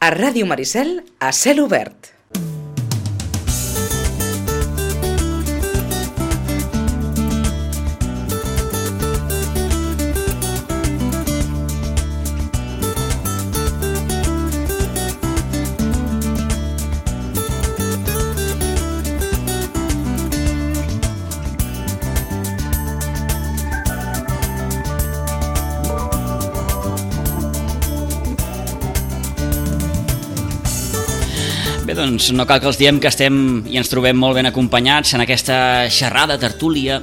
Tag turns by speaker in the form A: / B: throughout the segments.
A: A Ràdio Maricel, a cel obert.
B: Bé, doncs no cal que els diem que estem i ens trobem molt ben acompanyats en aquesta xerrada, tertúlia,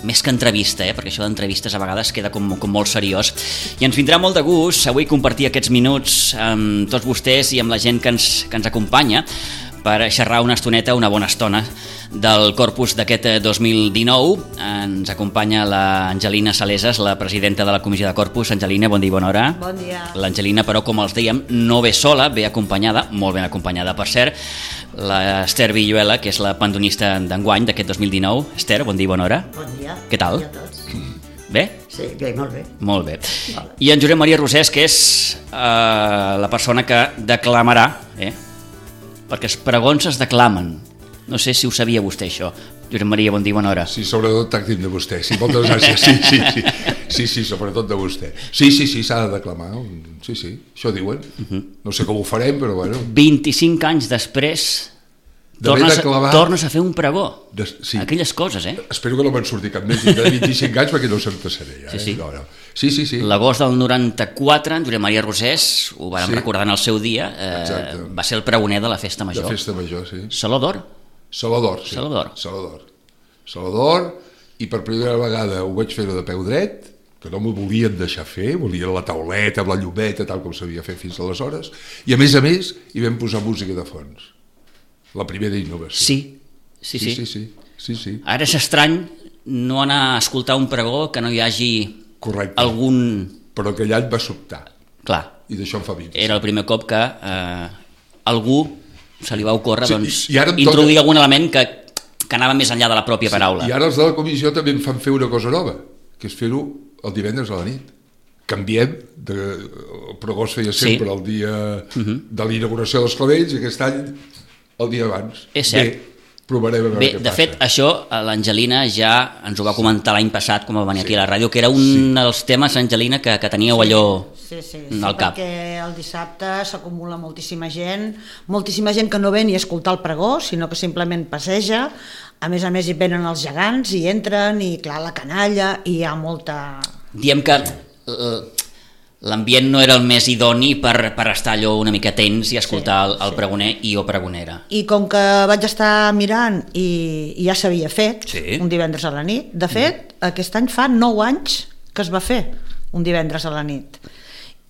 B: més que entrevista, perquè això d'entrevistes a vegades queda com molt seriós. I ens vindrà molt de gust avui compartir aquests minuts amb tots vostès i amb la gent que ens acompanya per xerrar una estoneta, una bona estona del corpus d'aquest 2019. Ens acompanya l'Angelina Salesas, la presidenta de la Comissió de Corpus. Angelina, bon dia i bona hora.
C: Bon dia.
B: L'Angelina, però, com els dèiem, no ve sola, ve acompanyada, molt ben acompanyada, per cert, l'Ester Villuela, que és la pandonista d'enguany d'aquest 2019. Ester, bon dia i bona hora.
C: Bon dia.
B: Què tal?
C: Bon dia a tots.
B: Bé?
C: Sí, bé, molt bé.
B: Molt bé.
C: Vale.
B: I en Josep Maria Rosés, que és la persona que declamarà, perquè els pregons es declamen. No sé si ho sabia vostè, això. Josep Maria, bon dia i bona hora.
D: Sí, sobretot tàctim de vostè. Sí, moltes gràcies. Sí, sobretot de vostè. Sí, s'ha de declamar. Sí, això diuen. No sé com ho farem, però bueno.
B: 25 anys després tornes a fer un pregó.
D: Sí.
B: Aquelles coses,
D: Espero que no me'n surti cap més. Tindrà 25 anys perquè no se'n passaré.
B: Sí.
D: No. Sí.
B: L'agost del 94, en Josep Maria Rosés, ho vàrem recordar en el seu dia, va ser el pregoner de la Festa Major.
D: De Festa Major, sí.
B: Saló d'Or?
D: Salvador, sí. Salvador, i per primera vegada ho vaig fer de peu dret, que no m'ho volien deixar fer, volien la tauleta amb la llumeta, tal com s'havia fet fins aleshores, i a més, hi vam posar música de fons. La primera innovació. Sí.
B: Ara és estrany no anar a escoltar un pregó que no hi hagi algun...
D: Però aquell any va sobtar.
B: Clar.
D: I d'això em fa 20.
B: Era el primer cop que algú se li va ocórrer introduir
D: toca...
B: algun element que anava més enllà de la pròpia paraula.
D: I ara els de la comissió també em fan fer una cosa nova, que és fer-ho el divendres a la nit. Canviem, el pregó es feia sempre el dia de l'inauguració dels clavells, i aquest any el dia abans.
B: És cert.
D: Provarem a veure què passa.
B: De fet, això l'Angelina ja ens ho va comentar l'any passat, com va venir aquí a la ràdio, que era un dels temes, Angelina, que teníeu allò al cap.
C: Perquè el dissabte s'acumula moltíssima gent que no ve ni a escoltar el pregó, sinó que simplement passeja. A més hi venen els gegants, i entren, i clar, la canalla, i hi ha molta...
B: Diem que l'ambient no era el més idoni per estar allò una mica tens i escoltar el pregoner o pregonera.
C: I com que vaig estar mirant i ja s'havia fet un divendres a la nit, de fet, aquest any fa 9 anys que es va fer un divendres a la nit.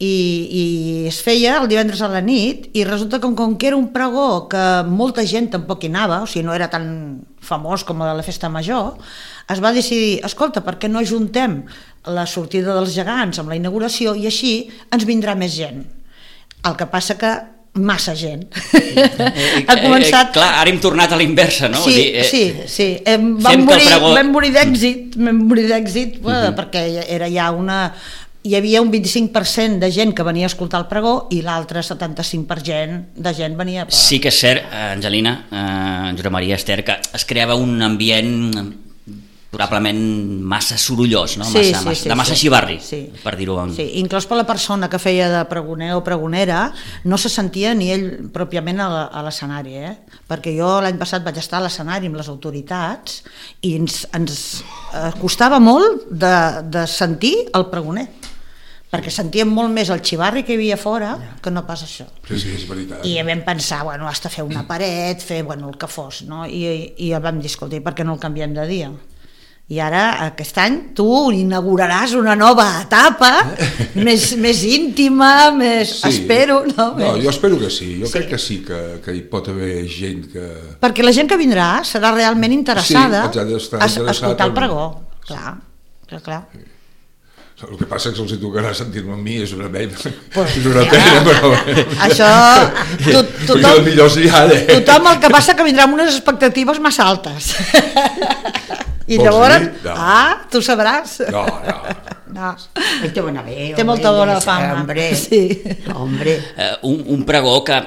C: I es feia el divendres a la nit, i resulta que com que era un pregó que molta gent tampoc hi anava, o sigui, no era tan famós com el de la Festa Major, es va decidir, escolta, per què no ajuntem la sortida dels gegants amb la inauguració i així ens vindrà més gent. El que passa que massa gent ha començat...
B: Clar, ara hem tornat a l'inversa, no?
C: Sí. Vam morir d'èxit perquè era ja hi havia un 25% de gent que venia a escoltar el pregó i l'altre 75% de gent venia...
B: Sí que és cert, Angelina, Josep Maria, Ester, que es creava un ambient probablement massa sorollós, no? De massa xivarri, per dir-ho.
C: Sí, inclús per la persona que feia de pregoner o pregonera no se sentia ni ell pròpiament a l'escenari, perquè jo l'any passat vaig estar a l'escenari amb les autoritats i ens costava molt de sentir el pregoner, perquè sentíem molt més el xivarri que hi havia fora que no pas això.
D: Sí, és veritat.
C: I vam pensar, has de fer una paret, fer el que fos, no? I vam dir, escolta, per què no el canviem de dia? I ara, aquest any, tu inauguraràs una nova etapa, més íntima, més... Espero, no?
D: No, jo espero que sí. Jo crec que sí, que hi pot haver gent que...
C: Perquè la gent que vindrà serà realment interessada
D: a
C: escoltar el pregó. Clar.
D: El que passa és que els hi tocarà sentir-me amb mi, és una pena, però...
C: Això...
D: Tothom
C: el que passa que vindrà amb unes expectatives massa altes. I llavors, tu sabràs.
D: No,
C: No.
E: Té bona bé.
C: Té molta bona fama.
E: Hombre,
C: sí.
E: Hombre.
B: Un pregó que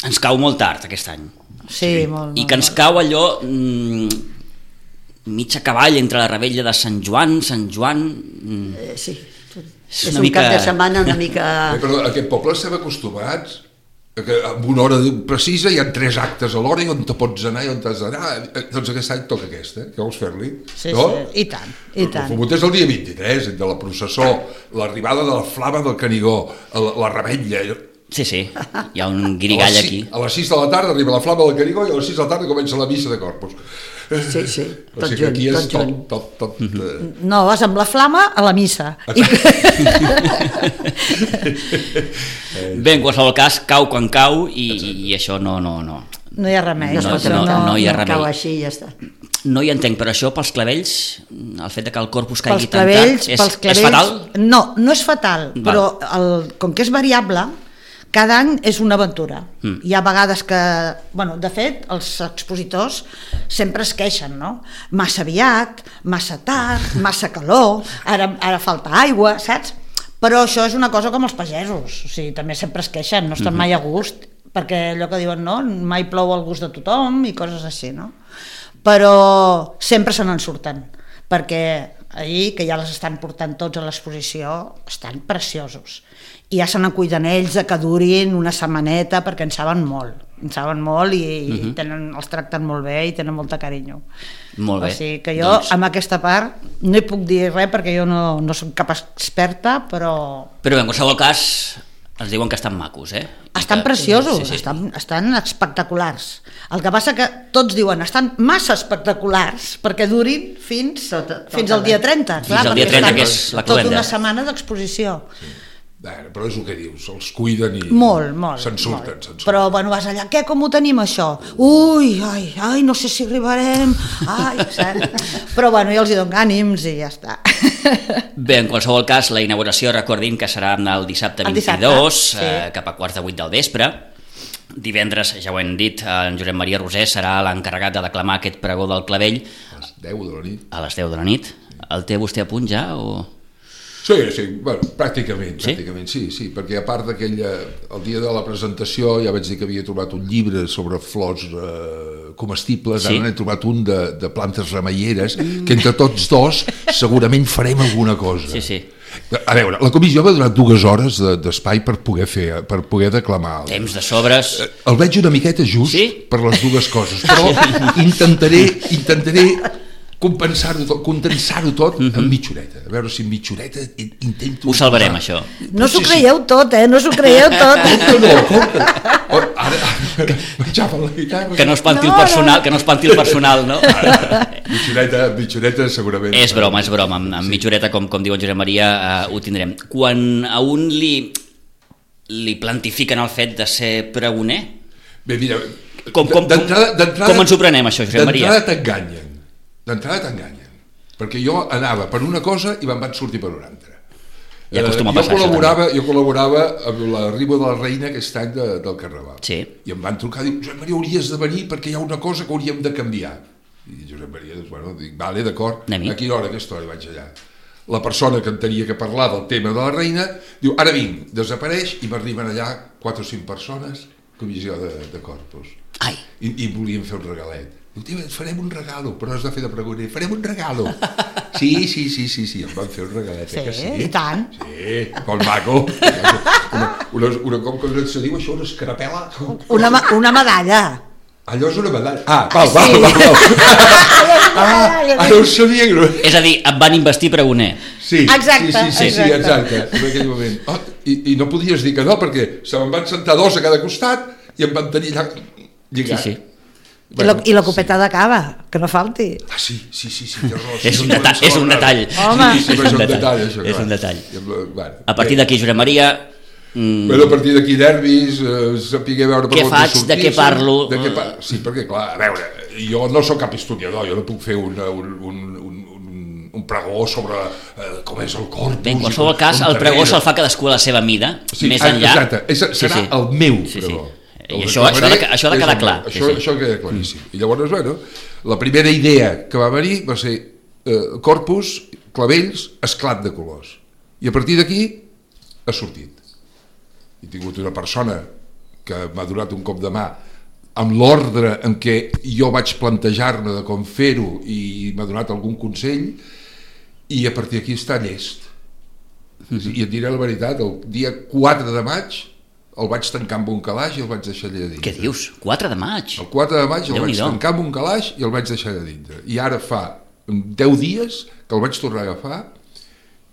B: ens cau molt tard aquest any.
C: Sí, molt.
B: I que ens cau allò mig a cavall entre la revetlla de Sant Joan.
E: Sí.
B: És
E: un cap de setmana una mica...
D: Però aquest poble estem acostumats que en una hora precisa hi ha 3 actes a l'hora i on te pots anar i on t'has d'anar. Doncs aquest any toca aquesta, què vols fer-li?
C: Sí,
D: no?
C: sí, i tant, i tant.
D: El Fumut és el dia 23, de la processó, l'arribada de la flama del Canigó, la revetlla...
B: Sí, hi ha un guirigall aquí.
D: A les 6 de la tarda arriba la flama del Canigó i a les 6 de la tarda comença la missa de Corpus.
E: Sí, tot junt.
D: Tot.
C: No, vas amb la flama a la missa.
B: Bé, en qualsevol cas, cau quan cau i això no...
C: No hi ha remei.
B: No hi ha remei.
E: Cau així i ja està.
B: No hi entenc, però això pels clavells, el fet de que el corpus caigui
C: tan tard,
B: és fatal?
C: No és fatal, però com que és variable, cada any és una aventura. Hi ha vegades que, de fet, els expositors sempre es queixen, no? Massa aviat, massa tard, massa calor, ara falta aigua, saps? Però això és una cosa com els pagesos, o sigui, també sempre es queixen, no estan mai a gust, perquè allò que diuen, no? Mai plou al gust de tothom i coses així, no? Però sempre se n'en surten, perquè ahir, que ja les estan portant tots a l'exposició, estan preciosos. I ja se n'acuiden ells que durin una setmaneta perquè en saben molt i els tracten molt bé i tenen molta carinyo.
B: Molt bé.
C: O sigui que jo amb aquesta part no hi puc dir res perquè jo no soc cap experta, però
B: en qualsevol cas ens diuen que estan macos,
C: estan preciosos, estan espectaculars. El que passa que tots diuen estan massa espectaculars perquè durin fins al dia 30.
B: Fins al dia 30, que és la cloenda.
C: Tota una setmana d'exposició.
D: Però és el que dius, els cuiden i
C: molt,
D: se'n surten.
C: Però vas allà, com ho tenim això? Ui, no sé si arribarem, però jo els hi dono ànims i ja està.
B: Bé, en qualsevol cas, la inauguració, recordin que serà el dissabte 22, cap a 7:45 del vespre. Divendres, ja ho hem dit, en Josep Maria Roser serà l'encarregat de declamar aquest pregó del clavell
D: a les 10 de la nit.
B: A les 10 de la nit. El té vostè a punt ja o...?
D: Sí, pràcticament, sí, perquè a part el dia de la presentació ja vaig dir que havia trobat un llibre sobre flors comestibles, ara n'he trobat un de plantes remeieres, que entre tots dos segurament farem alguna cosa.
B: Sí.
D: A veure, la comissió m'ha donat 2 hores d'espai per poder declamar.
B: Temps de sobres.
D: El veig una miqueta just per les 2 coses, però intentaré condensar-ho tot en mitjoreta. A veure si en mitjoreta intento...
B: Ho salvarem, això.
C: No s'ho creieu tot, no s'ho creieu tot.
D: Ara menjava la guitarra.
B: Que no espanti el personal, no?
D: Mitjoreta segurament.
B: És broma. Amb mitjoreta, com diu en Josep Maria, ho tindrem. Quan a un li plantifiquen el fet de ser pregoner?
D: Bé, mira...
B: Com ens ho prenem, això, Josep Maria?
D: D'entrada t'enganyen, perquè jo anava per una cosa i me'n van sortir per una altra.
B: Ja acostuma a passar
D: jo col·laborava amb l'arribo de la reina aquest any del Carnaval.
B: Sí.
D: I em van trucar i dir, Josep Maria, hauries de venir perquè hi ha una cosa que hauríem de canviar. I Josep Maria, dic, vale, d'acord, a quina hora, aquesta hora vaig allà. La persona que en tenia que parlar del tema de la reina diu, ara vinc, desapareix i m'arriben allà 4 o 5 persones, comissió de Corpus. I volien fer un regalet. Diu, et farem un regalo, però has de fer de pregoner. Farem un regalo. Sí, em van fer un regalet.
C: Sí, i tant.
D: Sí, molt maco. Com que se diu això, una escarapel·la?
C: Una medalla.
D: Allò és una medalla. Val. Ara ho sabia.
B: És a dir, et van investir pregoner.
D: Sí, exacte. En aquell moment. I no podies dir que no, perquè se me'n van sentar 2 a cada costat i em van tenir allà lligat.
B: Sí.
C: I la copeta de cava, que no falti.
D: Sí.
B: És un detall.
C: Home.
B: És un detall. A partir d'aquí, Josep Maria...
D: A partir d'aquí nervis, sapiguer veure per
B: què faig, de què parlo...
D: Sí, perquè clar, a veure, jo no sóc cap historiador, jo no puc fer un pregó sobre com és el corpus.
B: Bé, en qualsevol cas, el pregó se'l fa cadascú a la seva mida, més enllà...
D: Exacte, serà el meu pregó.
B: I això ha de quedar clar.
D: Això queda claríssim. I llavors, la primera idea que va venir va ser Corpus, clavells, esclat de colors. I a partir d'aquí ha sortit. He tingut una persona que m'ha donat un cop de mà amb l'ordre en què jo vaig plantejar-me de com fer-ho i m'ha donat algun consell, i a partir d'aquí està llest. I et diré la veritat, el dia 4 de maig el vaig tancar amb un calaix i el vaig deixar allà dintre.
B: Què dius? 4 de maig?
D: El 4 de maig el vaig tancar amb un calaix i el vaig deixar allà dintre. I ara fa 10 dies que el vaig tornar a agafar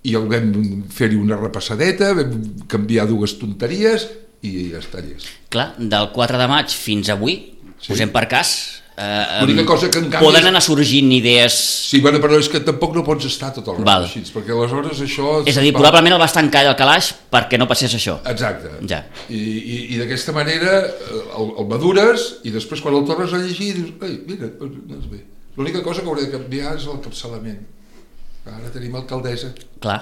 D: i el vam fer-hi una repassadeta, vam canviar 2 tonteries i ja està llest.
B: Clar, del 4 de maig fins avui, posem per cas,
D: l'única cosa que en canvi
B: poden anar sorgint idees...
D: Sí, bueno, però és que tampoc no pots estar tot el rato així, perquè aleshores això...
B: És a dir, probablement el vas tancar al calaix perquè no passés això.
D: Exacte.
B: Ja.
D: I d'aquesta manera el madures i després quan el tornes a llegir dius, ei, mira, doncs bé. L'única cosa que hauré de canviar és el capçalament. Ara tenim alcaldessa.
B: Clar.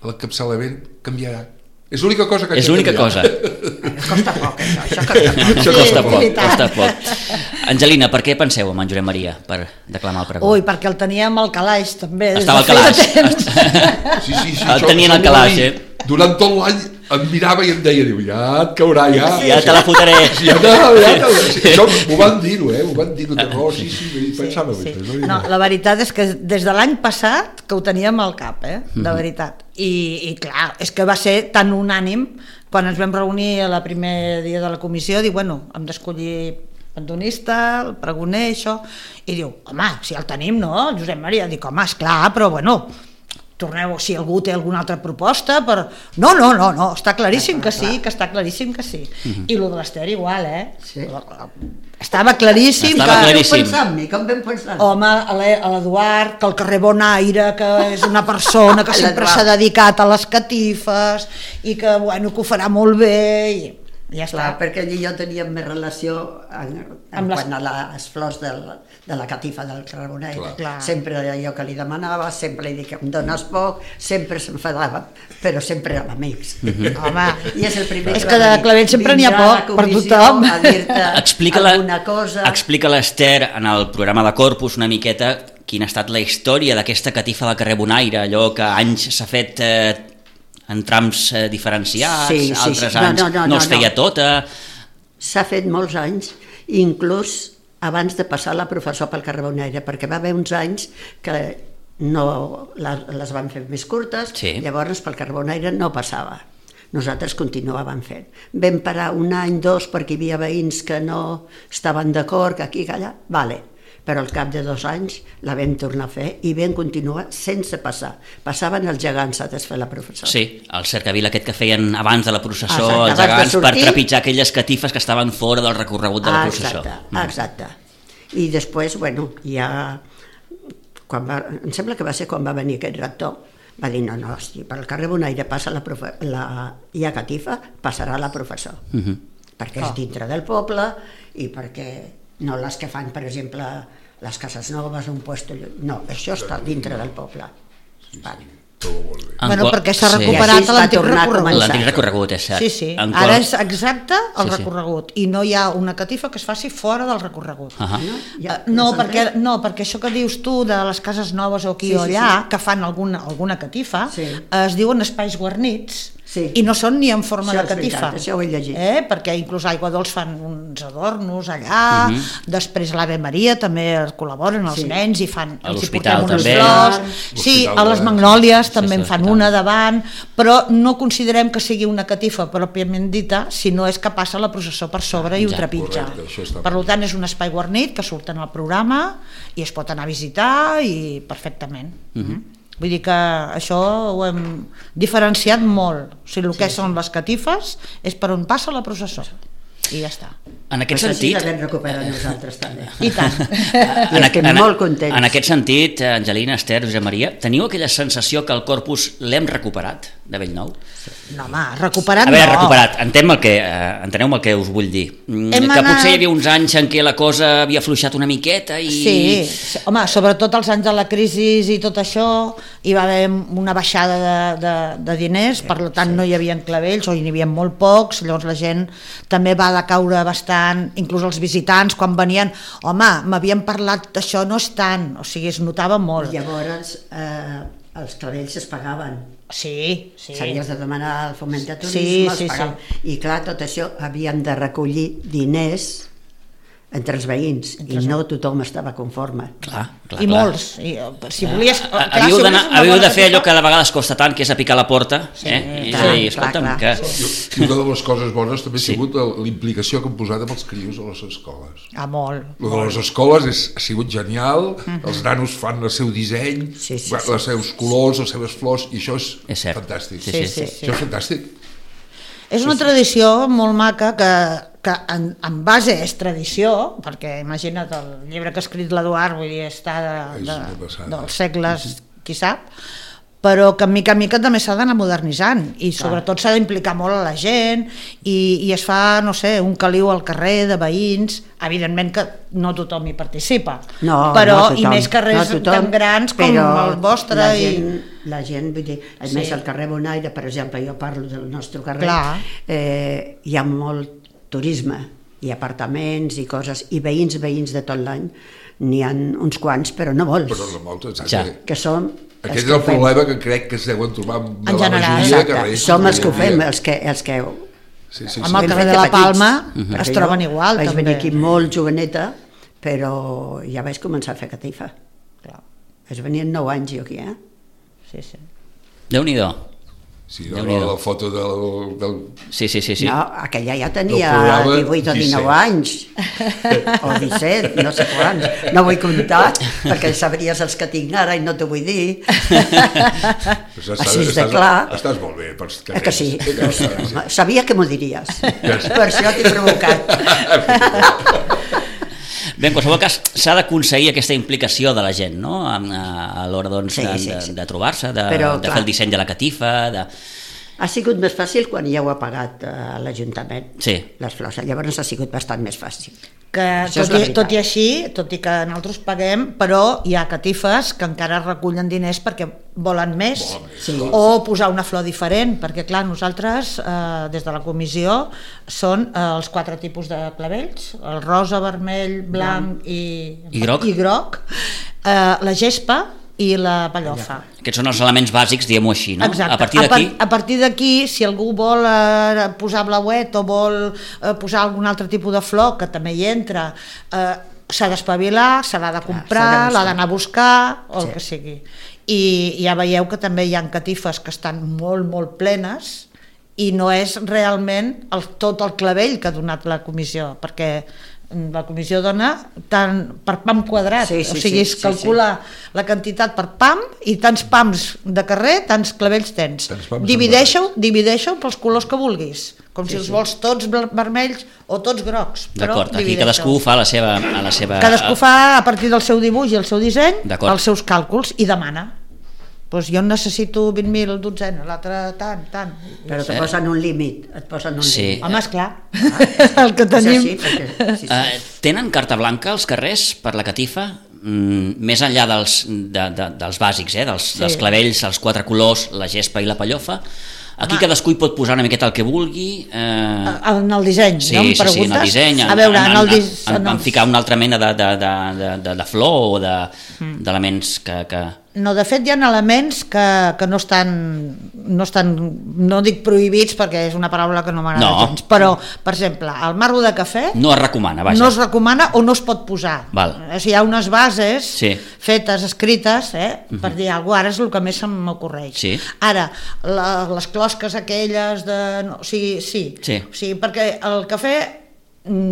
D: El capçalament canviarà. És l'única cosa que
B: és l'única cosa.
E: Costa poc, això costa poc.
B: Això costa poc. Angelina, per què penseu en Josep Maria per declamar el pregó?
C: Ui, perquè el teníem al calaix també.
B: Estava al calaix.
D: Sí,
B: el tenien al calaix,
D: Durant tot l'any em mirava i em deia, diu, ja et caurà, ja.
B: Ja te la fotré.
D: Això m'ho van dir-ho, ho van dir-ho. Sí, pensava.
C: No, la veritat és que des de l'any passat que ho teníem al cap, de veritat. I clar, és que va ser tan unànim quan ens vam reunir a la primer dia de la comissió, diu, bueno, hem d'escollir pandonista, el pregoner, això, i diu, home, si el tenim, no, Josep Maria? Dic, home, esclar, però bueno, torneu, si algú té alguna altra proposta, però... No, està claríssim que sí, que està claríssim que sí. I el de l'Ester igual,
E: Sí.
C: Estava claríssim.
E: Com vam pensar?
C: Home, a l'Eduard, que el carrer Bonaire, que és una persona que sempre s'ha dedicat a les catifes i que, bueno, que ho farà molt bé i ja està.
E: Clar, perquè ell i jo teníem més relació en quant a les flors de la catifa del carrer Bonaire. Sempre jo que li demanava, sempre li dic que em dones poc, sempre s'enfadava, però sempre érem amics.
C: Home,
E: i és el primer
C: és que de clavell sempre n'hi ha poc per tothom.
B: Explica l'Ester en el programa de Corpus una miqueta quina ha estat la història d'aquesta catifa del carrer Bonaire, allò que anys s'ha fet en trams diferenciats, altres anys no es feia tota.
E: S'ha fet molts anys, inclús abans de passar la professor pel carrer Bonaire, perquè va haver uns anys que no les van fer més curtes, llavors pel carrer Bonaire no passava. Nosaltres continuàvem fent. Vam parar un any, 2, perquè hi havia veïns que no estaven d'acord, que aquí, que allà, vale. Però al cap de 2 anys la vam tornar a fer i vam continuar sense passar. Passaven els gegants a desfer la professora.
B: Sí, el cercavil aquest que feien abans de la processó, els gegants, per trepitjar aquelles catifes que estaven fora del recorregut de la processó.
E: Exacte. I després, bueno, ja... Em sembla que va ser quan va venir aquest rector, va dir, no, hosti, per al carrer Bonaire passa hi ha catifa, passarà la professor. Perquè és dintre del poble i perquè... No les que fan, per exemple, les cases noves, un puesto... No, això està dintre del poble. Vale.
C: Bueno, perquè s'ha recuperat l'antic recorregut.
B: L'antic recorregut, és cert.
C: Sí, ara és exacte el recorregut i no hi ha una catifa que es faci fora del recorregut. No, perquè això que dius tu de les cases noves o aquí o allà, que fan alguna catifa, es diuen espais guarnits i no són ni en forma de catifa.
E: Això ho he llegit.
C: Perquè inclús a Aigua Dols fan uns adornos allà, després a l'Ave Maria també col·laboren els nens i fan...
B: A l'hospital també.
C: Sí, a les Magnòlies també en fan una davant, però no considerem que sigui una catifa pròpiament dita, sinó és que passa la processó per sobre i ho trepitja. Per tant, és un espai guarnit que surt en el programa i es pot anar a visitar i perfectament. Vull dir que això ho hem diferenciat molt. O sigui, el que són les catifes és per on passa la processó. I ja està.
B: En aquest sentit...
E: Això sí l'hem recuperat nosaltres també.
C: I tant.
E: I estem molt contents.
B: En aquest sentit, Angelina, Ester, Josep Maria, teniu aquella sensació que el corpus l'hem recuperat de Bellnou?
C: No, home, recuperat no.
B: A veure, recuperat, enteneu el que us vull dir. Que potser hi havia uns anys en què la cosa havia afluixat una miqueta i...
C: Sí, home, sobretot els anys de la crisi i tot això, hi va haver una baixada de diners, per tant no hi havia clavells o hi havia molt pocs, llavors la gent també va decaure bastant, inclús els visitants quan venien, home, m'havien parlat d'això, no és tant, o sigui, es notava molt.
E: Llavors els clavells es pagaven.
C: Sí.
E: S'havies de demanar al foment de turisme, es pagaven. I clar, tot això havíem de recollir diners entre els veïns, i no tothom estava conforme.
B: Clar.
C: Molts. Si volies...
B: Havíeu de fer allò que de vegades costa tant, que és a picar la porta. I escolta'm, que...
D: I una de les coses bones també ha sigut l'implicació que hem posat amb els crios a les escoles.
C: Molt.
D: Lo de les escoles ha sigut genial, els nanos fan el seu disseny, els seus colors, les seves flors, i això és fantàstic. Això és fantàstic.
C: És una tradició molt maca que en base és tradició, perquè imagina't el llibre que ha escrit l'Eduard, vull dir, està dels segles, qui sap, però que mica en mica també s'ha d'anar modernitzant i sobretot s'ha d'implicar molt a la gent i es fa, no sé, un caliu al carrer de veïns, evidentment que no tothom hi participa, però i més carrers tan grans com el vostre.
E: La gent, vull dir, a més al carrer Bonaire, per exemple, jo parlo del nostre carrer, hi ha molt turisme i apartaments i coses, i veïns de tot l'any, n'hi ha uns quants, però no molts.
D: Però no molts, exacte.
E: Que som...
D: Aquest és el problema que crec que es deuen trobar
E: en general. Som els que ho fem, els que...
C: Amb el carrer de la Palma es troben igual.
E: Vaig venir aquí molt joveneta, però ja vaig començar a fer catifa. Vaig venir en 9 anys jo aquí,
C: Sí.
B: Déu-n'hi-do.
D: Sí, la foto del...
B: Sí.
E: No, aquella ja tenia 18 o 19 anys, o 17, no sé quants. No vull comptar, perquè sabries els que tinc ara i no t'ho vull dir. Així de clar.
D: Estàs molt bé.
E: Que sí, sabia que m'ho diries. Per això t'he provocat.
B: Bé, en qualsevol cas, s'ha d'aconseguir aquesta implicació de la gent, no?, a l'hora de trobar-se, de fer el disseny de la catifa...
E: Ha sigut més fàcil quan ja ho ha pagat l'Ajuntament, les flors. Llavors ha sigut bastant més fàcil.
C: Tot i així, tot i que nosaltres paguem, però hi ha catifes que encara recullen diners perquè volen més, o posar una flor diferent, perquè clar, nosaltres des de la comissió són els 4 tipus de clavells, el rosa, vermell, blanc i groc, la gespa i la pellofa.
B: Aquests són els elements bàsics, diguem-ho així, no?
C: Exacte. A partir d'aquí, si algú vol posar blauet o vol posar algun altre tipus de flor, que també hi entra, s'ha d'espavilar, se l'ha de comprar, l'ha d'anar a buscar, o el que sigui. I ja veieu que també hi ha catifes que estan molt, molt plenes i no és realment tot el clavell que ha donat la comissió, perquè la comissió dona tant per pam quadrat, o sigui, es calcula la quantitat per pam i tants pams de carrer, tants clavells tens. Divideixo pels colors que vulguis, com si els vols tots vermells o tots grocs.
B: D'acord, aquí cadascú fa a la seva...
C: Cadascú fa a partir del seu dibuix i el seu disseny els seus càlculs i demana. Doncs jo necessito 20.000 dotzena, l'altre tant.
E: Però et posen un límit,
C: Home, esclar, el que tenim.
B: Tenen carta blanca als carrers per la catifa? Més enllà dels bàsics, dels clavells, els 4 colors, la gespa i la pellofa? Aquí cadascú hi pot posar una miqueta el que vulgui.
C: En el disseny, no? Em preguntes?
B: Sí, en el disseny.
C: A veure,
B: en ficar una altra mena de flor o d'elements que...
C: No, de fet hi ha elements que no estan, no dic prohibits perquè és una paraula que no m'agrada gens, però, per exemple, el marro de cafè
B: no es recomana, vaja.
C: No es recomana o no es pot posar. Hi ha unes bases fetes, escrites, per dir alguna cosa, ara és el que més se m'ocorreix. Ara, les closques aquelles de... Sí, perquè el cafè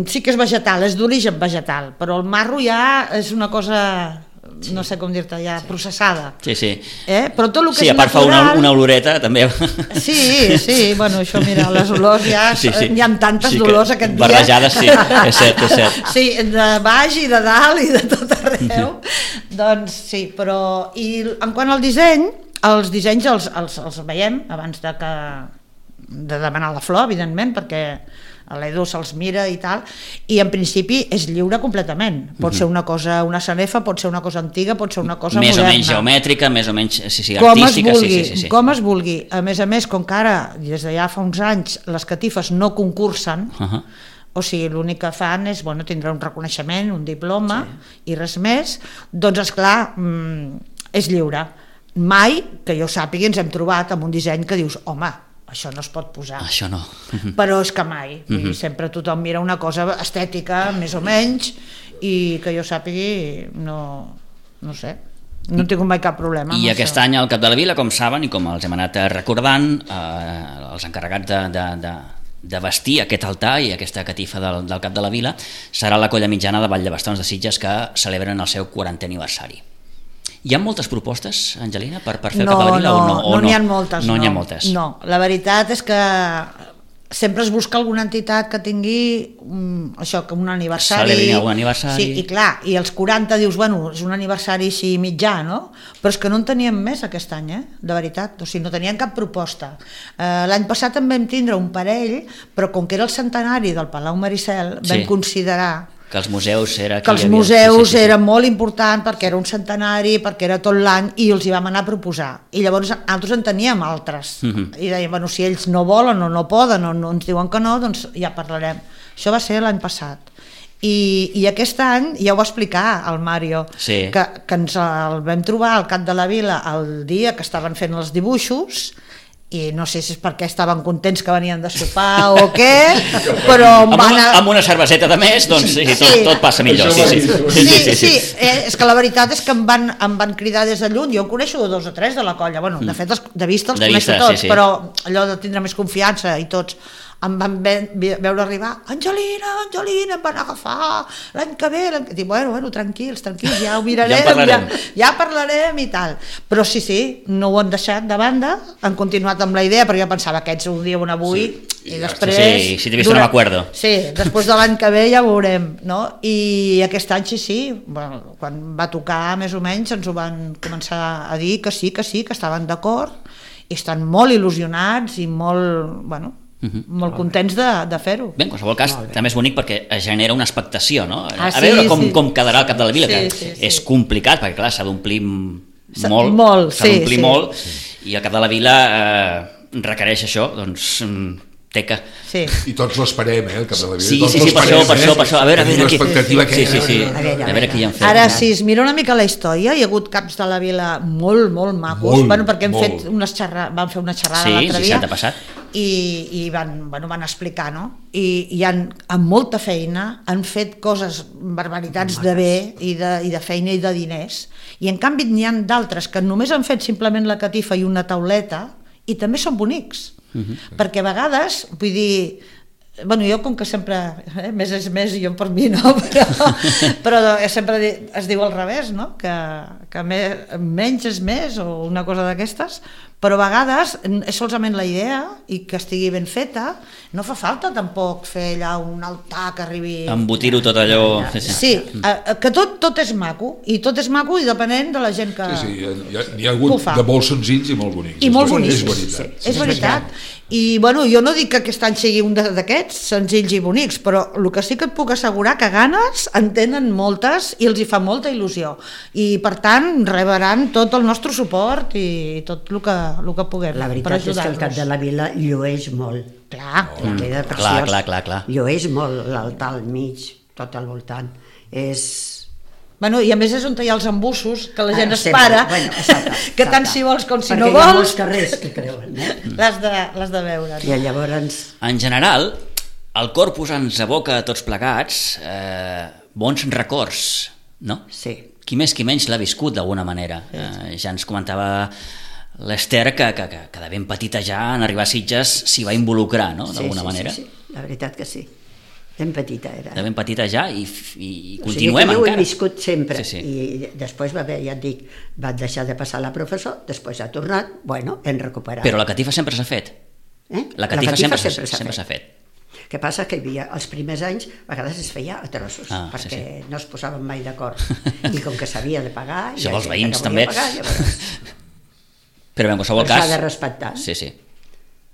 C: sí que és vegetal, és d'origen vegetal, però el marro ja és una cosa... no sé com dir-te, ja processada. Però tot el que és natural...
B: a part fa una oloreta, també.
C: Sí, bueno, això, mira, les olors ja... Hi ha tantes olors aquest dia.
B: Barrejades, sí, és cert.
C: Sí, de baix i de dalt i de tot arreu. Doncs sí, però... I en quant al disseny, els dissenys els veiem abans de demanar la flor, evidentment, perquè l'Edu se'ls mira i tal, i en principi és lliure completament. Pot ser una cosa, una sanefa, pot ser una cosa antiga, pot ser una cosa
B: més
C: moderna.
B: Més o menys geomètrica, més o menys artística.
C: Com es vulgui. A més, com que ara, des de ja fa uns anys, les catifes no concursen, o sigui, l'únic que fan és, tindrà un reconeixement, un diploma i res més, doncs esclar, és lliure. mai, que jo sàpigui, ens hem trobat amb un disseny que dius, home, això no es pot posar.
B: Això no.
C: Però és que mai. Sempre tothom mira una cosa estètica, més o menys, i que jo sàpigui, no sé, no he tingut mai cap problema.
B: I aquest any al Cap de la Vila, com saben, i com els hem anat recordant, els encarregats de vestir aquest altar i aquesta catifa del Cap de la Vila serà la Colla Mitjana de Vall de Bastons de Sitges, que celebren el seu 40è aniversari. Hi ha moltes propostes, Angelina, per fer el Cap de la Vila?
C: No n'hi ha moltes.
B: No n'hi ha moltes.
C: No, la veritat és que sempre es busca alguna entitat que tingui això, que un aniversari.
B: Celebrin algun aniversari.
C: Sí, i clar, i els 40 dius, bueno, és un aniversari així mitjà, no? Però és que no en teníem més aquest any, de veritat. O sigui, no teníem cap proposta. L'any passat en vam tindre un parell, però com que era el centenari del Palau Maricel, vam considerar
B: que els museus
C: era molt important perquè era un centenari, perquè era tot l'any, i els hi vam anar a proposar. I llavors altres en teníem altres. I dèiem, bueno, si ells no volen o no poden o no ens diuen que no, doncs ja parlarem. Això va ser l'any passat. I aquest any ja ho va explicar el Mario, que ens el vam trobar al Cap de la Vila el dia que estaven fent els dibuixos, i no sé si és perquè estaven contents que venien de sopar o què, però
B: amb una cerveseta de més, doncs tot passa millor.
C: Sí, és que la veritat és que em van cridar des de lluny. Jo en coneixo 2 o 3 de la colla, bueno, de fet de vista els coneixo tots, però allò de tindre més confiança i tots em van veure arribar, Angelina, em van agafar l'any que ve, dic, bueno, tranquils, ja ho mirarem, ja parlarem i tal. Però sí, no ho han deixat de banda, han continuat amb la idea, perquè jo pensava que aquests ho diuen avui i després...
B: Sí, si t'he vist no m'acuerdo.
C: Sí, després de l'any que ve ja ho veurem, no? I aquest any sí, bueno, quan va tocar més o menys ens ho van començar a dir que sí, que estaven d'acord i estan molt il·lusionats i molt, bueno, molt contents de fer-ho.
B: Bé, en qualsevol cas, també és bonic perquè es genera una expectació, no? A veure com quedarà el Cap de la Vila, que és complicat, perquè clar, s'ha d'omplir molt, i el Cap de la Vila requereix això, doncs teca.
D: I tots l'esperem, el Cap de la Vila.
B: Sí, per això. A veure qui han fet.
C: Ara, si es mira una mica la història, hi ha hagut caps de la Vila molt macos, perquè van fer una xerrada l'altre dia.
B: Sí, passat.
C: I van explicar, no? I amb molta feina han fet coses, barbaritats de bé i de feina i de diners, i en canvi n'hi ha d'altres que només han fet simplement la catifa i una tauleta i també són bonics, perquè a vegades, vull dir, bueno, jo com que sempre més és més i jo per mi no, però sempre es diu al revés, no? Que menys és més o una cosa d'aquestes, però a vegades és solament la idea i que estigui ben feta, no fa falta tampoc fer allà un altar que arribi...
B: Embotir-ho tot allò...
C: Sí, que tot és maco, i depenent de la gent que...
D: Sí, n'hi ha hagut de molt senzills i molt bonics.
C: I molt bonics,
D: és veritat.
C: I bueno, jo no dic que aquest any sigui un d'aquests senzills i bonics, però el que sí que et puc assegurar que ganes en tenen moltes i els hi fa molta il·lusió, i per tant rebran tot el nostre suport i tot el que puguem.
E: La veritat és que el Cap de la Vila llueix molt.
C: Clar.
E: Queda preciós.
B: Clar.
E: Llueix molt l'altar al mig, tot al voltant.
C: Bueno, i a més és on hi ha els embussos que la gent es para, que tant si vols com si no vols,
E: perquè hi ha molts carrers que creuen,
C: l'has de veure, no?
E: I llavors...
B: En general, el Corpus ens evoca a tots plegats bons records, no?
E: Sí.
B: Qui més qui menys l'ha viscut d'alguna manera. Ja ens comentava l'Ester que de ben petita ja en arribar a Sitges s'hi va involucrar, no? D'alguna manera.
E: Sí, la veritat que sí. Ben petita era.
B: De ben petita ja i continuem encara.
E: Jo ho he viscut sempre.
B: I
E: després va haver, ja et dic, va deixar de passar la professor, després ha tornat, bueno, hem recuperat.
B: Però la catifa sempre s'ha fet. La catifa sempre s'ha fet.
E: El que passa que hi havia, els primers anys, a vegades es feia a trossos, perquè no es posaven mai d'acord. I com que s'havia de pagar...
B: I els veïns també. Però en qualsevol cas...
E: S'ha de respectar.
B: Sí.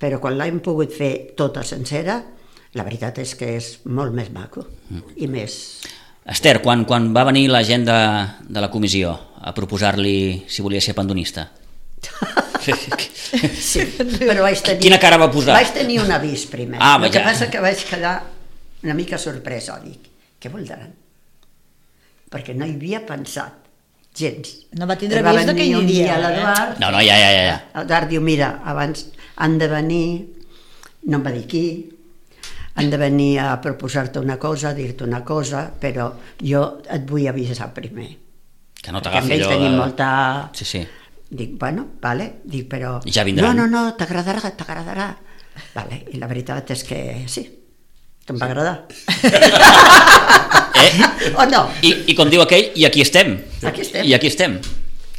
E: Però quan l'hem pogut fer tota sencera, la veritat és que és molt més maco i més...
B: Ester, quan va venir la gent de la comissió a proposar-li si volia ser pandonista?
E: Sí, però vaig tenir...
B: Quina cara va posar?
E: Vaig tenir un avís primer. El que passa que vaig quedar una mica sorpresa, dic, què voldran? Perquè no hi havia pensat. gens.
C: No va tindre vist que hi iria.
E: L'Eduard.
B: No, ja.
E: L'Eduard diu, mira, abans han de venir, no em va dir qui, han de venir a proposar-te una cosa, a dir-te una cosa, però jo et vull avisar primer.
B: Que no t'agafi allò...
E: Tenim molta...
B: Sí.
E: Dic, bueno, vale, dic, però...
B: Ja vindran.
E: No, t'agradarà. Vale, i la veritat és que sí, que em va agradar. O no?
B: I com diu aquell, i aquí estem. I aquí estem.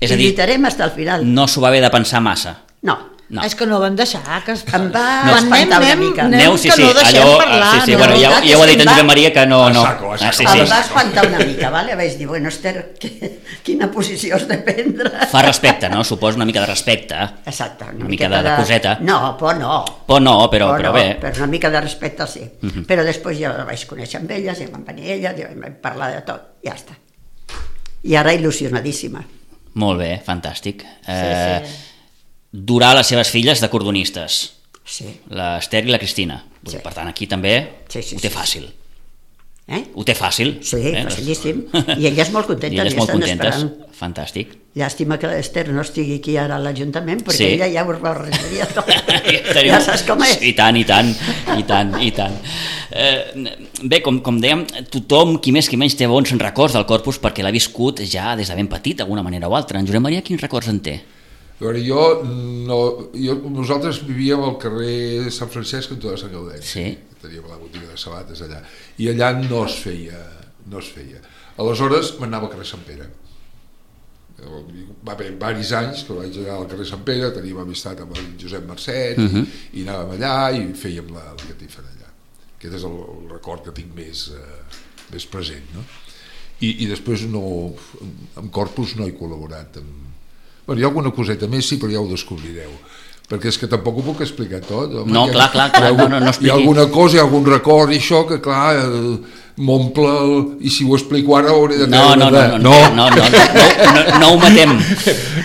B: És a dir,
E: lluitarem fins al final.
B: No s'ho va haver de pensar massa.
E: No.
C: És que no vam deixar, que
E: em va espantar una mica.
B: Aneu, sí, parlar. Sí, bueno, ja ho ha dit en Josep Maria que no...
E: Em va espantar una mica, vale? Vaig dir, bueno, Esther, quina posició has de prendre?
B: Fa respecte, no? Suposo una mica de respecte.
E: Exacte.
B: Una mica de coseta.
E: No, por no.
B: Por no, però bé.
E: Per una mica de respecte, sí. Però després ja la vaig conèixer amb elles, ja van venir elles, ja vam parlar de tot, ja està. I ara il·lusionadíssima.
B: Molt bé, fantàstic. Durar les seves filles de cordonistes.
E: Sí.
B: L'Esther i la Cristina. Per tant, aquí també ho té fàcil. Ho té fàcil.
E: Sí, facilíssim. I elles molt contentes.
B: I elles molt contentes. Fantàstic.
E: Llàstima que l'Esther no estigui aquí ara a l'Ajuntament, perquè ella ja ho arreglaria tot. Ja saps com és.
B: I tant. Bé, com dèiem, tothom, qui més qui menys, té bons records del Corpus perquè l'ha viscut ja des de ben petit, d'alguna manera o altra. En Josep Maria, quins records en té?
D: Nosaltres vivíem al carrer Sant Francesc, cantó de Sant Gaudèn.
B: Sí.
D: Teníem la botiga de sabates allà. I allà no es feia. Aleshores m'anava al carrer Sant Pere. Va haver diversos anys que vaig anar al carrer Sant Pere, teníem amistat amb el Josep Marcet, i anàvem allà i fèiem la catifera allà. Aquest és el record que tinc més present, no? I després amb Corpus no he col·laborat hi ha alguna coseta més, sí, però ja ho descobrireu, perquè és que tampoc ho puc explicar tot. Home,
B: no, clar, no expliqui.
D: Hi ha alguna cosa, hi ha algun record i això que, clar, m'omple i si ho explico ara hauré de treure...
B: No ho matem.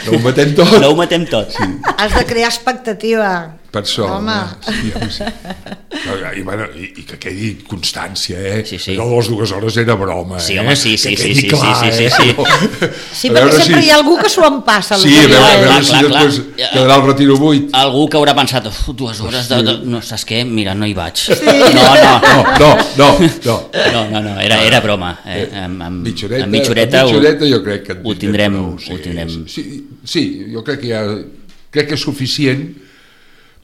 D: No ho matem tot.
B: No ho matem tot.
C: Sí. Has de crear expectativa.
D: Per això.
C: Home.
D: Sí. I que quedi constància,
B: Sí.
D: Però les 2 hores era broma,
B: Sí, home, sí.
D: Sí,
C: perquè sempre hi ha algú que s'ho empassa.
D: Sí, a veure si després quedarà el retiro buit.
B: Algú que haurà pensat, 2 hores no, saps què? Mira, no hi vaig. No, era broma. Amb mitjoreta
D: jo crec que
B: ho tindrem.
D: Sí, jo crec que és suficient,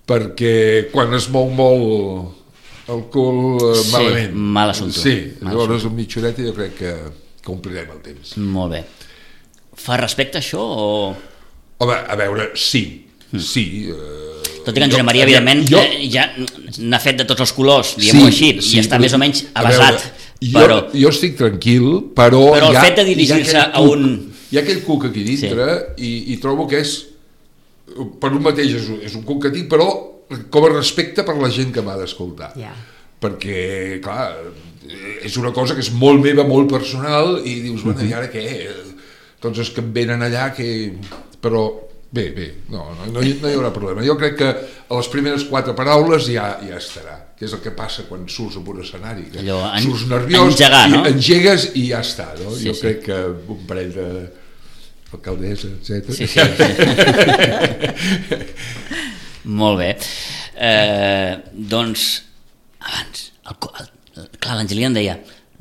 D: perquè quan es mou molt el cul malament.
B: Mal assumpte.
D: Sí, llavors amb mitjoreta jo crec que omplirem el temps.
B: Molt bé. Fa respecte això o...?
D: Home, a veure, sí.
B: Tot i que en Josep Maria, evidentment, ja n'ha fet de tots els colors, diguem-ho així, i està més o menys avasat.
D: Jo estic tranquil, però
B: el fet de dirigir-se a un...
D: Hi ha aquell cuc aquí dintre i trobo que és, per un mateix és un cuc que tinc, però com a respecte per la gent que m'ha d'escoltar. Perquè, clar, és una cosa que és molt meva, molt personal, i dius, bueno, i ara què? Tots els que em venen allà, però bé, no hi haurà problema. Jo crec que a les primeres 4 paraules ja estarà, que és el que passa quan surts en un escenari, que surts nerviós, engegues i ja està, no? Jo crec que un parell d'alcaldessa, etc.
B: Sí. Molt bé. Doncs, abans, clar, l'Angelina em deia,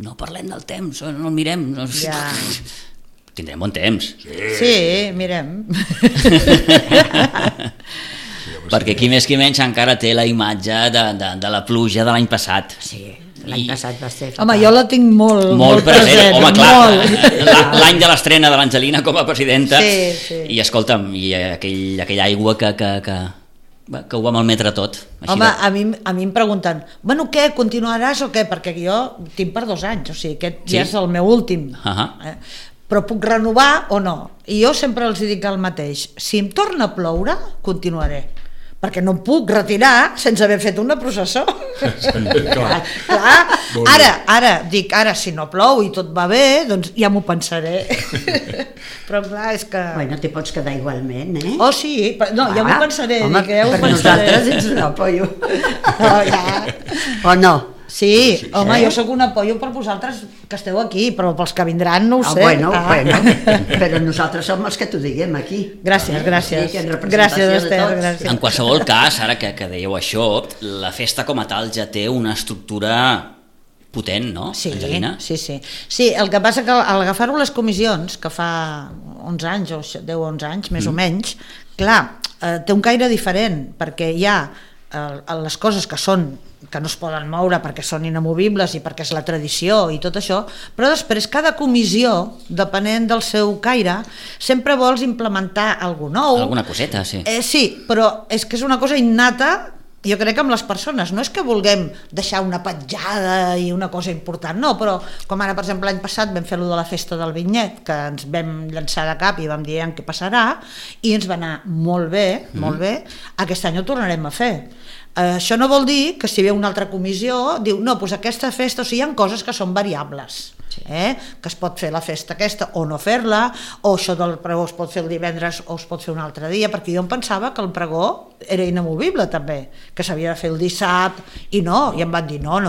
B: no parlem del temps, no el mirem, tindrem bon temps.
C: Sí, mirem.
B: Perquè qui més qui menys encara té la imatge de la pluja de l'any passat.
E: Sí, l'any passat va ser...
C: Home, jo la tinc molt present.
B: Home, clar, l'any de l'estrena de l'Angelina com a presidenta.
C: Sí.
B: I escolta'm, i aquella aigua que ho va malmetre tot.
C: Home, a mi em pregunten, bueno, què, continuaràs o què? Perquè jo tinc per 2 anys, o sigui, aquest ja és el meu últim. Però puc renovar o no? I jo sempre els dic el mateix, si em torna a ploure, continuaré. Perquè no em puc retirar sense haver fet una processó. Clar. Ara, si no plou i tot va bé, doncs ja m'ho pensaré. Però clar, és que...
E: Bueno, t'hi pots quedar igualment,
C: Oh, sí, ja m'ho pensaré.
E: Home, per nosaltres ets un apoyo. O no?
C: Sí, home, jo sóc un apoyo per vosaltres que esteu aquí, però pels que vindran no ho sé.
E: Bueno, però nosaltres som els que t'ho diguem aquí.
C: Gràcies.
E: Gràcies,
C: Esther, gràcies.
B: En qualsevol cas, ara que dèieu això, la festa com a tal ja té una estructura potent, no, Angelina?
C: Sí. Sí, el que passa que al agafar-ho les comissions, que fa 11 anys o 10-11 anys, més o menys, clar, té un caire diferent, perquè hi ha les coses que no es poden moure perquè són inamovibles i perquè és la tradició i tot això, però després cada comissió, depenent del seu caire, sempre vols implementar alguna nou.
B: Alguna coseta, sí.
C: Sí, però és que és una cosa innata, jo crec que amb les persones, no és que vulguem deixar una petjada i una cosa important, no, però com ara, per exemple, l'any passat vam fer allò de la festa del vinyet, que ens vam llançar de cap i vam dir què passarà, i ens va anar molt bé, aquest any ho tornarem a fer. Això no vol dir que si ve una altra comissió diu, no, doncs aquesta festa, o sigui, hi ha coses que són variables, que es pot fer la festa aquesta o no fer-la, o això del pregó es pot fer el divendres o es pot fer un altre dia, perquè jo em pensava que el pregó era inamovible també, que s'havia de fer el dissabte, i no, i em van dir no,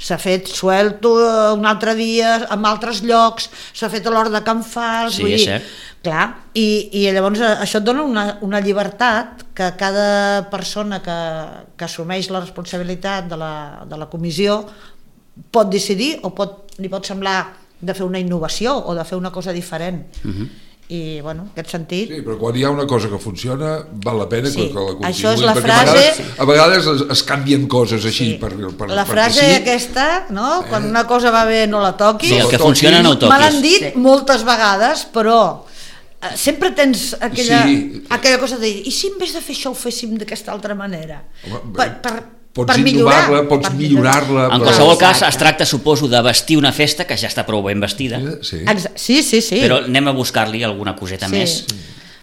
C: s'ha fet suelto un altre dia en altres llocs, s'ha fet a l'hora de Can Fals,
B: sí, és cert.
C: Clar, i llavors això et dona una llibertat que cada persona que assumeix la responsabilitat de la comissió pot decidir o li pot semblar de fer una innovació o de fer una cosa diferent. I, bueno, en aquest sentit...
D: Sí, però quan hi ha una cosa que funciona, val la pena que la continuï.
C: Això és la frase...
D: A vegades es canvien coses així.
C: La frase aquesta, no? Quan una cosa va bé no la toquis.
B: Sí, el que funciona no ho toquis.
C: Me l'han dit moltes vegades, però sempre tens aquella cosa de dir, i si en vez de fer això ho féssim d'aquesta altra manera?
D: Pots innovar-la, pots millorar-la.
B: En qualsevol cas, es tracta, suposo, de vestir una festa que ja està prou ben vestida.
C: Sí.
B: Però anem a buscar-li alguna coseta més.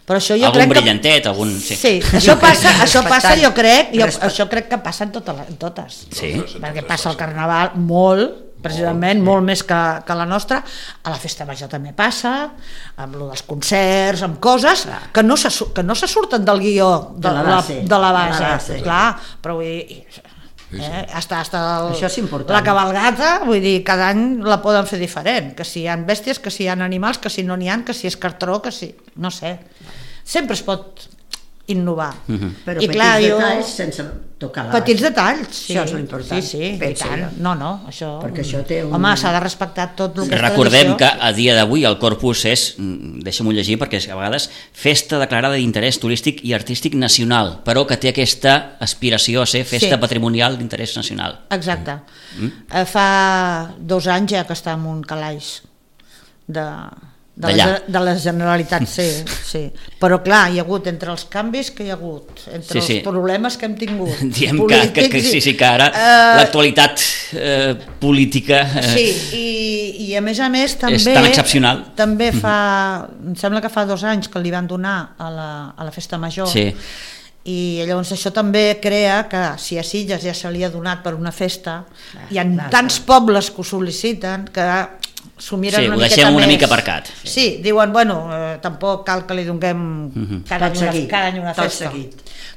C: Però això jo
B: algun brillantet, algun...
C: Sí, això passa, jo crec, això crec que passa en totes.
B: Sí.
C: Perquè passa el Carnaval molt, precisament, molt més que la nostra. A la Festa Major també passa, amb lo dels concerts, amb coses que no se surten del guió de la base. Clar, però vull dir... Hasta la cabalgata, vull dir, cada any la poden fer diferent, que si hi ha bèsties, que si hi ha animals, que si no n'hi ha, que si és cartró, que si... no sé, sempre es pot innovar.
E: Però petits detalls sense tocar la base.
C: Petits detalls, sí.
E: Això és l'important.
C: Sí, i tant. No, això...
E: Perquè això té un...
C: Home, s'ha de respectar tot el que és
B: Recordem que a dia d'avui el Corpus és, deixa'm-ho llegir perquè a vegades, festa declarada d'interès turístic i artístic nacional, però que té aquesta aspiració a ser festa patrimonial d'interès nacional.
C: Exacte. Fa 2 anys ja que està en un calaix de la Generalitat, sí. Però clar, hi ha hagut entre els canvis que hi ha hagut, entre els problemes que hem tingut,
B: diem que ara l'actualitat política
C: i a més també
B: és tan excepcional.
C: També em sembla que fa 2 anys que li van donar a la Festa Major, i llavors això també crea que si a Sitges ja se li ha donat per una festa, hi ha tants pobles que ho sol·liciten que s'ho miren
B: ho deixem una mica aparcat.
C: Sí, diuen, bueno, tampoc cal que li donem cada any una festa.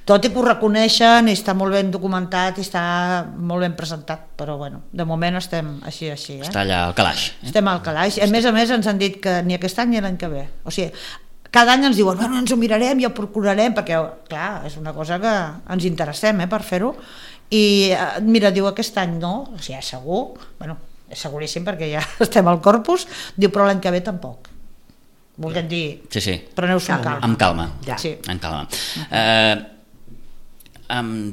C: Tot i que ho reconeixen i està molt ben documentat i està molt ben presentat, però bueno, de moment estem així.
B: Està allà al calaix.
C: Estem al calaix. A més ens han dit que ni aquest any ni l'any que ve. O sigui, cada any ens diuen, bueno, ens ho mirarem i ho procurarem, perquè, clar, és una cosa que ens interessem per fer-ho. I mira, diu, aquest any no, o sigui, segur, bueno, és seguríssim perquè ja estem al Corpus, diu, però l'any que ve tampoc. Volem dir, preneu-s'ho
B: amb calma.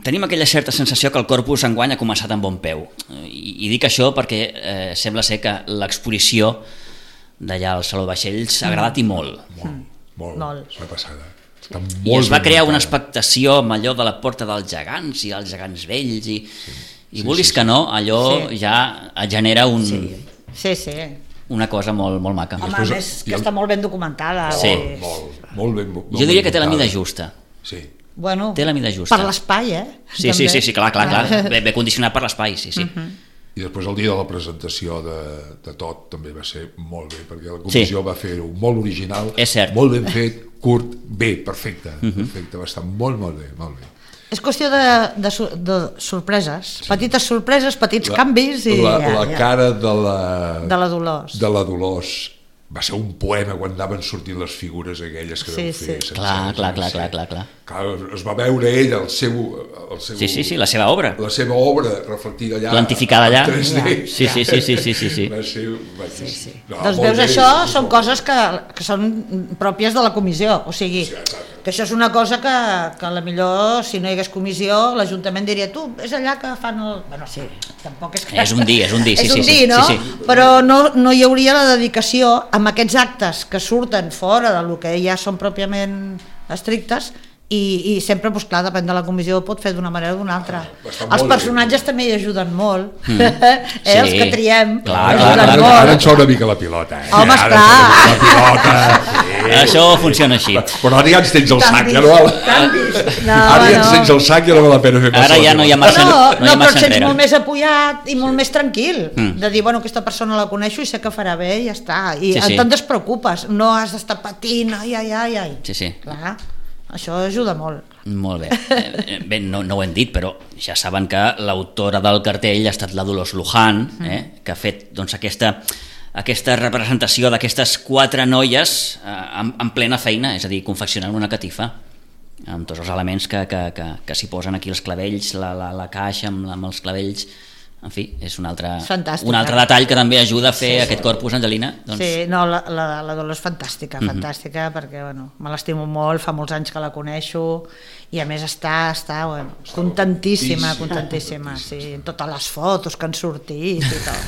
B: Tenim aquella certa sensació que el Corpus enguany ha començat amb bon peu, i dic això perquè sembla ser que l'exposició d'allà al Saló de Vaixells ha agradat i molt.
D: Molt. La passada.
B: I es va crear una expectació amb allò de la Porta dels Gegants i els gegants vells i vulguis que no, allò ja genera una cosa molt maca.
C: Home, a més que està molt ben documentada.
D: Molt ben.
B: Jo diria que té la mida justa.
D: Sí.
C: Bueno,
B: té la mida justa.
C: Per l'espai,
B: Sí, clar. Ben condicionat per l'espai, sí.
D: I després el dia de la presentació de tot també va ser molt bé, perquè la comissió va fer-ho molt original, molt ben fet, curt, bé, perfecte, va estar molt bé.
C: És qüestió de sorpreses, petites sorpreses, petits canvis i...
D: La cara de la
C: Dolors
D: va ser un poema quan anaven sortint les figures aquelles que vam fer.
B: Clar.
D: Es va veure ell, el seu...
B: Sí, la seva obra.
D: La seva obra reflectida allà.
B: Plantificada allà.
D: 3D.
B: Sí.
C: Doncs veus, això són coses que són pròpies de la comissió, o sigui, que això és una cosa que a la millor, si no hi hagués comissió, l'Ajuntament diria, tu, és allà que fan el... Bueno, sí, tampoc és que...
B: És un dir,
C: és un dir, no? Però no hi hauria la dedicació amb aquests actes que surten fora del que ja són pròpiament estrictes i sempre, doncs clar, depèn de la comissió, pot fer d'una manera o d'una altra. Els personatges també hi ajuden molt, els que triem ajuden molt.
D: Ara ens sona una mica la pilota.
C: Home, esclar.
D: La pilota.
B: Això funciona així.
D: Però ara ja ens tens el sac, ja no val. Ara ja ens tens el sac i no val la pena fer
B: Ara ja no hi ha massa enrere.
C: No, però et sents molt més apujat i molt més tranquil de dir, bueno, aquesta persona la coneixo i sé que farà bé i ja està. I te'n despreocupes, no has d'estar patint, ai.
B: Sí.
C: Clar. Això ajuda molt.
B: Molt bé. Bé, no ho hem dit, però ja saben que l'autora del cartell ha estat la Dolors Luján, que ha fet doncs, aquesta representació d'aquestes 4 noies en plena feina, és a dir, confeccionant una catifa amb tots els elements que s'hi posen aquí, els clavells, la caixa amb els clavells. En fi, és un altre detall que també ajuda a fer aquest corpus, Angelina. Doncs...
C: Sí, no, la Dolors és fantàstica, perquè bueno, me l'estimo molt, fa molts anys que la coneixo i a més està contentíssima, sí, totes les fotos que han sortit i tot.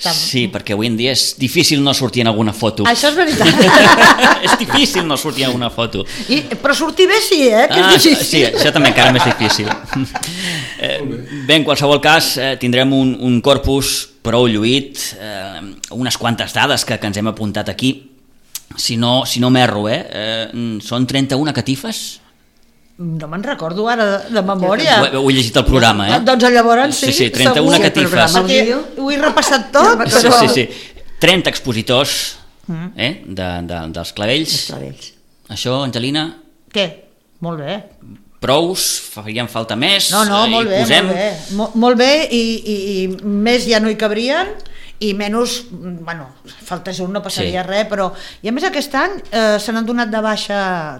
B: Sí, perquè avui en dia és difícil no sortir en alguna foto.
C: Això és veritat.
B: És difícil no sortir en alguna foto.
C: Però sortir bé sí, que és difícil.
B: Sí, això també encara més difícil. Bé, en qualsevol cas, tindrem un corpus prou lluït, unes quantes dades que ens hem apuntat aquí. Si no m'erro, són 31 catifes?
C: No me'n recordo ara de memòria.
B: Ho he llegit al programa,
C: Doncs llavors sí.
B: Sí, 31 catifes.
C: Ho he repassat tot.
B: Sí. 30 expositors dels clavells. Això, Angelina?
C: Què? Molt bé.
B: Prous? Farien falta més?
C: No, molt bé. Molt bé i més ja no hi cabrien i menys, bueno, faltés un, no passaria res, però... I a més aquest any se n'han donat de baixa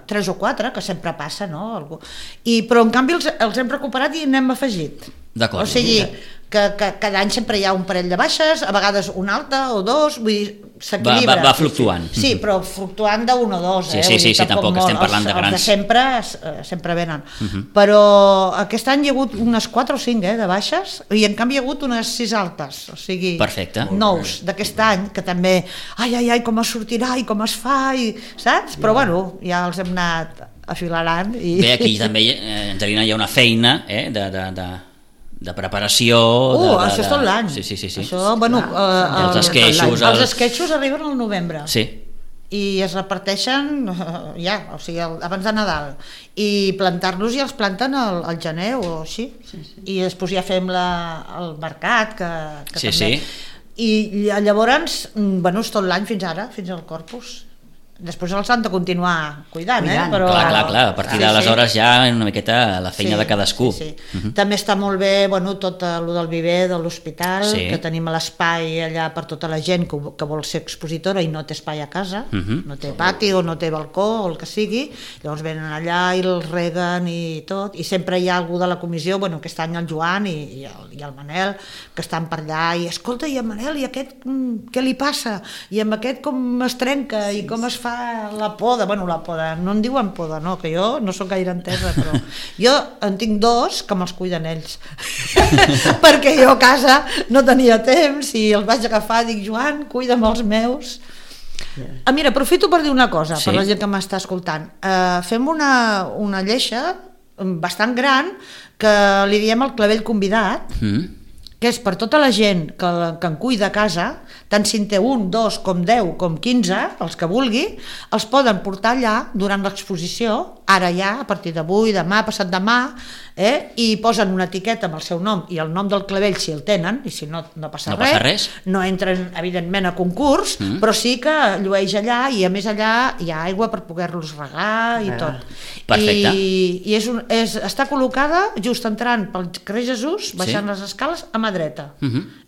C: 3 o 4, que sempre passa, no? Però en canvi els hem recuperat i n'hem afegit.
B: D'acord.
C: O sigui, que cada any sempre hi ha un parell de baixes, a vegades una alta o 2, vull dir, s'equilibra.
B: Va fluctuant.
C: Sí, però fluctuant de 1 o 2.
B: Sí, tampoc estem parlant de grans.
C: Els de sempre venen. Però aquest any hi ha hagut unes 4 o 5 de baixes i en canvi hi ha hagut unes 6 altes, o sigui,
B: perfecte.
C: Nous d'aquest any, que també, ai, com es sortirà i com es fa, saps? Però bueno, ja els hem anat afilarant.
B: Bé, aquí també, Angelina, hi ha una feina de preparació...
C: això és tot l'any.
B: Sí.
C: Això, bueno...
B: Els esqueixos...
C: Els esqueixos arriben al novembre.
B: Sí.
C: I es reparteixen o sigui, abans de Nadal. I plantar-los i els planten al gener o així. I després ja fem el mercat, que també...
B: Sí.
C: I llavors, bueno, és tot l'any fins ara, fins al Corpus. Després els han de continuar cuidant. Però...
B: Clar, a partir d'aleshores ja una miqueta la feina de cadascú.
C: Sí. També està molt bé, bueno, tot el del viver de l'hospital, que tenim l'espai allà per tota la gent que vol ser expositora i no té espai a casa, no té pati o no té balcó o el que sigui, llavors venen allà i els reguen i tot, i sempre hi ha algú de la comissió, bueno, aquest any el Joan i el Manel, que estan per allà i escolta, i el Manel, i aquest què li passa? I amb aquest com es trenca i com es fa la poda, no en diuen poda, no, que jo no sóc gaire entesa, però jo en tinc 2 que me'ls cuiden ells perquè jo a casa no tenia temps i els vaig agafar i dic, Joan, cuida'm els meus. Mira, aprofito per dir una cosa per la gent que m'està escoltant. Fem una lleixa bastant gran que li diem el clavell convidat, que és per tota la gent que en cuida a casa, tant si en té 1, 2, com 10, com 15, els que vulgui, els poden portar allà durant l'exposició, ara ja, a partir d'avui, demà, passat demà, i posen una etiqueta amb el seu nom i el nom del clavell si el tenen, i si no, no passa res. No entren, evidentment, a concurs, però sí que llueix allà, i a més allà hi ha aigua per poder-los regar i tot.
B: Perfecte.
C: I està col·locada just entrant pel carrer Jesús, baixant les escales, a mà dreta.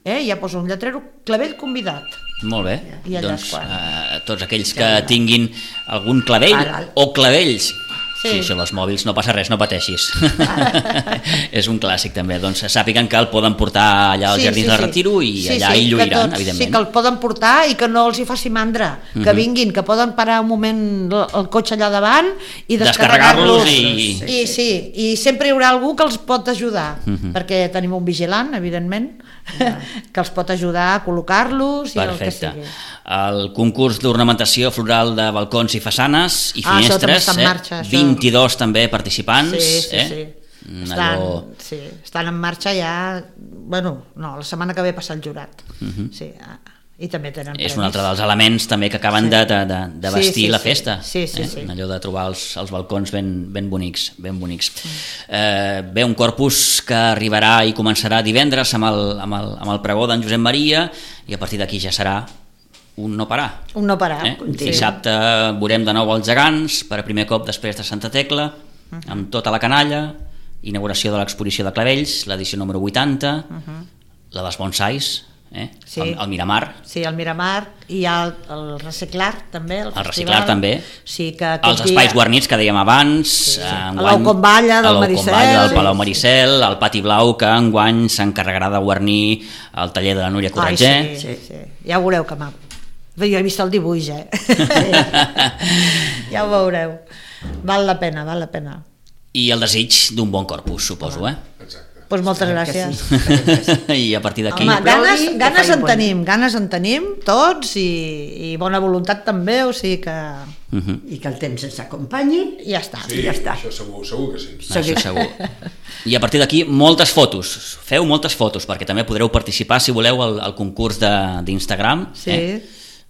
C: Ja posa un lletrero, clavell convidat.
B: Molt bé, doncs tots aquells que tinguin algun clavell o clavells, si això dels mòbils no passa res, no pateixis. És un clàssic també, doncs sàpiguen que el poden portar allà als Jardins del Retiro i allà hi lluiran, evidentment.
C: Sí, que el poden portar i que no els hi faci mandra, que vinguin, que poden parar un moment el cotxe allà davant i descarregar-los. I sempre hi haurà algú que els pot ajudar, perquè tenim un vigilant, evidentment, que els pot ajudar a col·locar-los i el que sigui.
B: El concurs d'ornamentació floral de balcons i façanes i finestres, 22 també participants.
C: Estan en marxa ja, la setmana que ve passa el jurat. I també tenen premis.
B: És un altre dels elements també que acaben de vestir la festa. Allò de trobar els balcons ben bonics. Bé, un corpus que arribarà i començarà divendres amb el pregó d'en Josep Maria i a partir d'aquí ja serà un no parar.
C: Un no parar.
B: Dissabte veurem de nou els gegants, per primer cop després de Santa Tecla, amb tota la canalla, inauguració de l'exposició de clavells, l'edició número 80, la dels bonsais, el Miramar.
C: Sí, el Miramar, i hi ha el Reciclar també, el
B: Reciclar també, els espais guarnits que dèiem abans,
C: l'Aucomballa del Maricel,
B: el Palau Maricel, el Pati Blau, que enguany s'encarregarà de guarnir el taller de la Núria Corretger.
C: Ja ho veureu que maco. Jo he vist el dibuix, ja ho veureu. Val la pena.
B: I el desig d'un bon corpus, suposo,
D: Exacte.
C: Doncs moltes gràcies.
B: I a partir d'aquí...
C: Ganes en tenim tots i bona voluntat també, o sigui que...
E: I que el temps ens acompanyi i ja està.
D: Sí, això segur que sí.
B: Això segur. I a partir d'aquí moltes fotos, feu moltes fotos perquè també podreu participar si voleu al concurs d'Instagram.
C: Sí.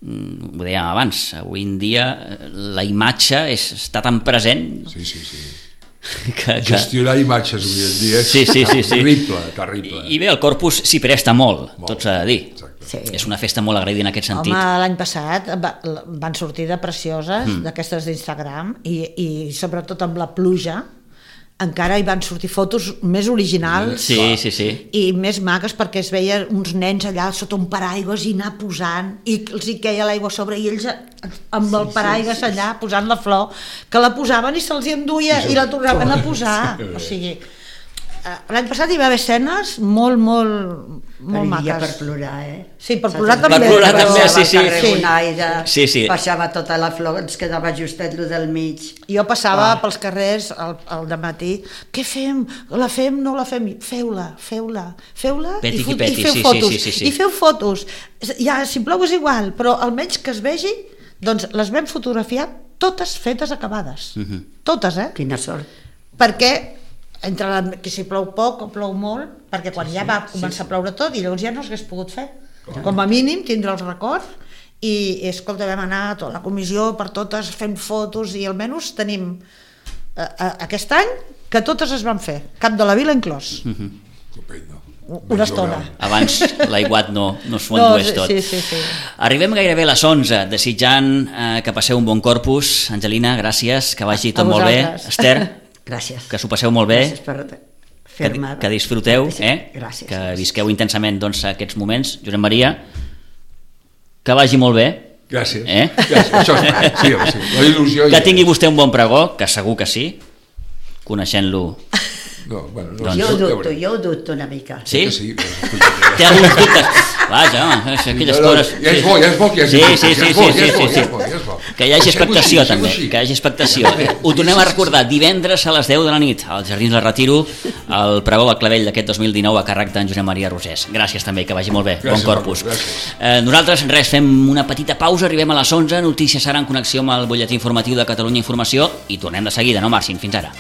B: Ho dèiem abans, avui en dia la imatge està tan present.
D: Sí. Gestionar imatges avui en dia és terrible.
B: I bé, el Corpus s'hi presta molt, tot s'ha de dir. És una festa molt agraïda en aquest sentit.
C: Home, l'any passat van sortir de precioses d'aquestes d'Instagram i sobretot amb la pluja encara hi van sortir fotos més originals i més maques, perquè es veia uns nens allà sota un paraigües i anar posant i els hi queia l'aigua a sobre i ells amb el paraigües allà posant la flor, que la posaven i se'ls hi enduia i la tornaven a posar. O sigui, l'any passat hi va haver escenes molt maques.
E: Per plorar,
C: Sí, per plorar també.
B: Per plorar també,
E: sí. Passava tota la flor, ens quedava justet lo del mig.
C: Jo passava pels carrers al dematí, què fem? La fem, no la fem? Feu-la i feu fotos. I feu fotos. Ja, si plou és igual, però almenys que es vegi, doncs les vam fotografiar totes fetes acabades. Totes,
E: Quina sort.
C: Perquè que si plou poc o plou molt, perquè quan ja va començar a ploure tot i llavors ja no s'hagués pogut fer. Com a mínim tindre el record i escolta, vam anar a tota la comissió per totes fent fotos i almenys tenim aquest any que totes es van fer, Cap de la Vila inclòs. Una estona.
B: Abans l'aiguat no s'ho endués tot.
C: Sí.
B: Arribem gairebé a les 11, desitjant que passeu un bon Corpus. Angelina, gràcies, que vagi tot molt bé. Esther,
E: gràcies.
B: Que s'ho passeu molt bé.
E: Gràcies per fer-me.
B: Que disfruteu,
E: Gràcies.
B: que visqueu intensament aquests moments. Josep Maria, que vagi molt bé.
D: Gràcies. Això és sí. La il·lusió.
B: Que tingui vostè un bon pregó, que segur que sí, coneixent-lo.
E: Jo ho dubto una mica.
B: Sí? Té alguns dubtes. Vaja, aquelles coses...
D: Ja és bo que hi hagi
B: que hi hagi expectació també, que hi hagi expectació. Ho tornem a recordar, divendres a les 10 de la nit als Jardins del Retiro, el pregó del clavell d'aquest 2019 a càrrec d'en Josep Maria Rosés. Gràcies també, que vagi molt bé. Bon Corpus. Nosaltres fem una petita pausa, arribem a les 11, notícies serà en connexió amb el butlletí informatiu de Catalunya Informació i tornem de seguida, no marxin, fins ara.